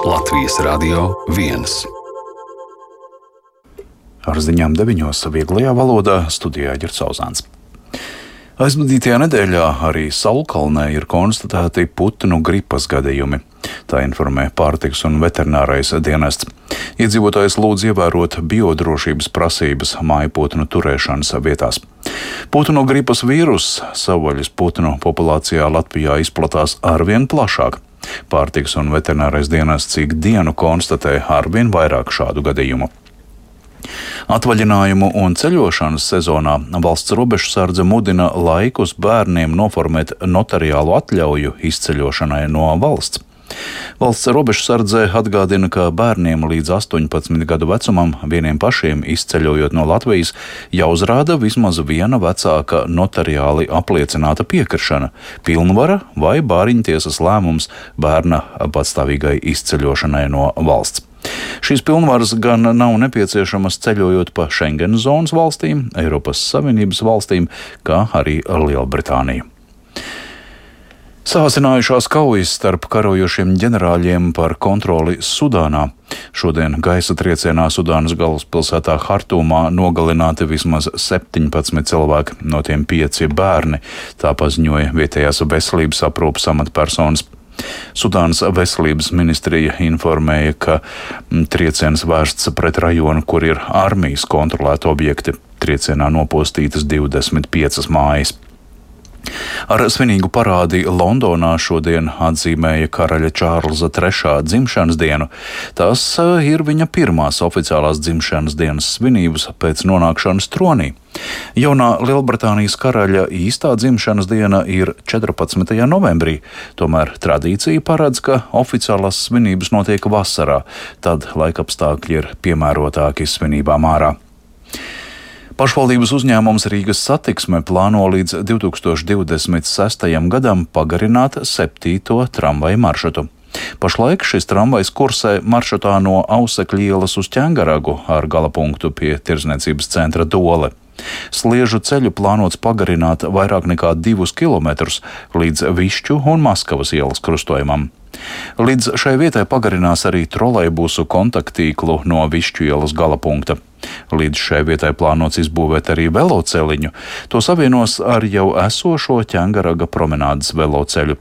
Latvijas Radio 1. Ar ziņām 9. vieglajā valodā studijā Ģerts Auzāns. Aizvadītajā nedēļā arī Saulkalnē ir konstatēti putnu gripas gadījumi. Tā informē Pārtikas un veterinārais dienests. Iedzīvotājs lūdz ievērot biodrošības prasības mājputnu turēšanas vietās. Putnu gripas vīruss savvaļas putnu populācijā Latvijā izplatās arvien plašāk. Pārtikas un veterinārais dienests ik dienu konstatē arvien vairāk šādu gadījumu. Atvaļinājumu un ceļošanas sezonā valsts robežsardze mudina laikus bērniem noformēt notariālu atļauju izceļošanai no valsts. Valsts robežsardze atgādina, ka bērniem līdz 18 gadu vecumam vieniem pašiem izceļojot no Latvijas jāuzrāda vismaz viena vecāka notariāli apliecināta piekrišana, pilnvara vai bāriņtiesas lēmums bērna patstāvīgai izceļošanai no valsts. Šīs pilnvaras gan nav nepieciešamas ceļojot pa Schengen zonas valstīm, Eiropas Savienības valstīm, kā arī Lielbritāniju. Sāsinājušās kaujas starp karojošiem ģenerāļiem par kontroli Sudānā. Šodien gaisa triecienā Sudānas galvaspilsētā Hartumā nogalināti vismaz 17 cilvēki, no tiem 5 bērni, tā paziņoja vietējās veselības aprūpes amatpersonas. Sudānas veselības ministrija informēja, ka trieciens vērsts pret rajonu, kur ir armijas kontrolēti objekti. Triecienā nopostītas 25 mājas. Ar svinīgu parādi Londonā šodien atzīmēja karaļa Čārlza III dzimšanas dienu. Tas ir viņa pirmās oficiālās dzimšanas dienas svinības pēc nonākšanas tronī. Jaunā Lielbritānijas karaļa īstā dzimšanas diena ir 14. novembrī, tomēr tradīcija paredz, ka oficiālās svinības notiek vasarā, tad laikapstākļi ir piemērotāki svinībām ārā. Pašvaldības uzņēmums Rīgas satiksme plāno līdz 2026. gadam pagarināt 7. tramvaju maršrutu. Pašlaik šis tramvajs kursē maršrutā no Ausekļa ielas uz Ķengaragu ar galapunktu pie tirdzniecības centra Dole. Sliežu ceļu plānots pagarināt vairāk nekā 2 kilometrus līdz Višķu un Maskavas ielas krustojumam. Līdz šai vietai pagarinās arī trolejbusu kontaktīklu no Višķu ielas galapunkta. Līdz šai vietai plānots izbūvēt arī veloceliņu. To savienos ar jau esošo Ķengaraga promenādes veloceļu.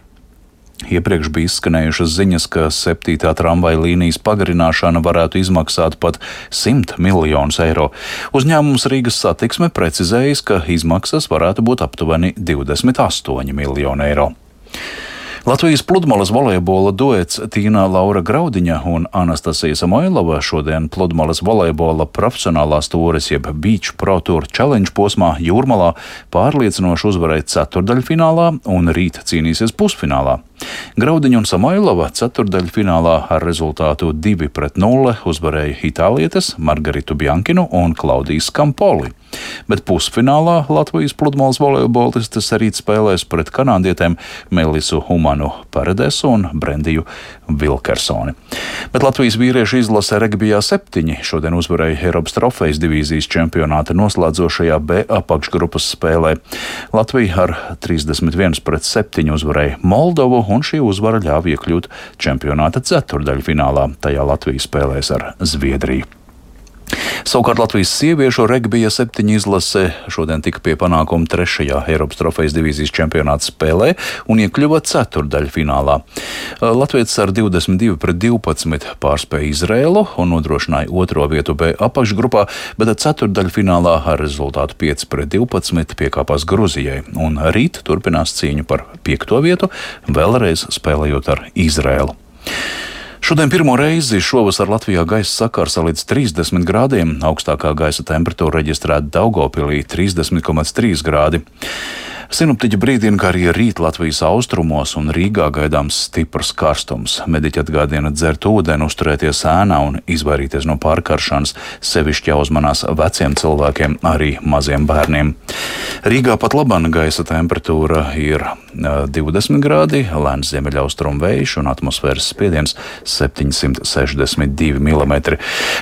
Iepriekš bija izskanējušas ziņas, ka 7. tramvaja līnijas pagarināšana varētu izmaksāt pat 100 miljonus eiro. Uzņēmums Rīgas satiksme precizējis, ka izmaksas varētu būt aptuveni 28 miljoni eiro. Latvijas pludmales volejbola duets Tīna Laura Graudiņa un Anastasija Samoilova šodien pludmales volejbola profesionālās tūres jeb Beach Pro Tour Challenge posmā Jūrmalā pārliecinoši uzvarēja ceturtdaļfinālā un rīt cīnīsies pusfinālā. Graudiņa un Samoilova ceturtdaļfinālā ar rezultātu 2-0 uzvarēja itālietes Margaritu Biankinu un Klaudiju Skampoli. Bet pusfinālā Latvijas pludmales volejbolistes rīt spēlēs pret kanādietēm Melisu Humanu Paredesu un Brendiju Vilkersoni. Bet Latvijas vīriešu izlase regbijā 7 šodien uzvarēja Eiropas trofejas divīzijas čempionāta noslēdzošajā B apakšgrupas spēlē. Latvija ar 31-7 uzvarēja Moldovu, un šī uzvara ļāva iekļūt čempionāta ceturtdaļfinālā. Tajā Latvija spēlēs ar Zviedriju. Savukārt Latvijas sieviešu regbija 7 izlase šodien tika pie panākuma 3. Eiropas trofejas divīzijas čempionāta spēlē un iekļuva ceturtdaļfinālā. Latvijas ar 22-12 pārspēja Izraēlu un nodrošināja 2. vietu B apakšgrupā, bet ceturtdaļfinālā ar rezultātu 5-12 piekāpās Gruzijai un rīt turpinās cīņu par 5. vietu, vēlreiz spēlējot ar Izraēlu. Šodien pirmo reizi šovasar Latvijā gaisa sakarsa līdz 30 grādiem, augstākā gaisa temperatūra reģistrēta Daugavpilī 30,3 grādi. Sinoptiķi brīdina, ka arī rīt Latvijas austrumos un Rīgā gaidāms stiprs karstums. Mediķi atgādina dzert ūdeni, uzturēties ēnā un izvairīties no pārkaršanas, sevišķi jāuzmanās veciem cilvēkiem, arī maziem bērniem. Rīgā pat labāk gaisa temperatūra ir 20 grādi, lēns ziemeļaustrumu vējš un atmosfēras spiediens 762 mm.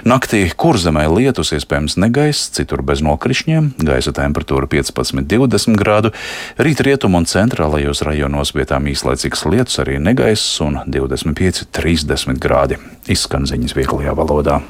Naktī Kurzemē lietus, iespējams negaiss, citur bez nokrišņiem, gaisa temperatūra 15-20 grādu. Rīt rietumu un centrālajos rajonos vietām īslaicīgs lietus, arī negaiss un 25-30 grādi. izskan ziņas vieglajā valodā.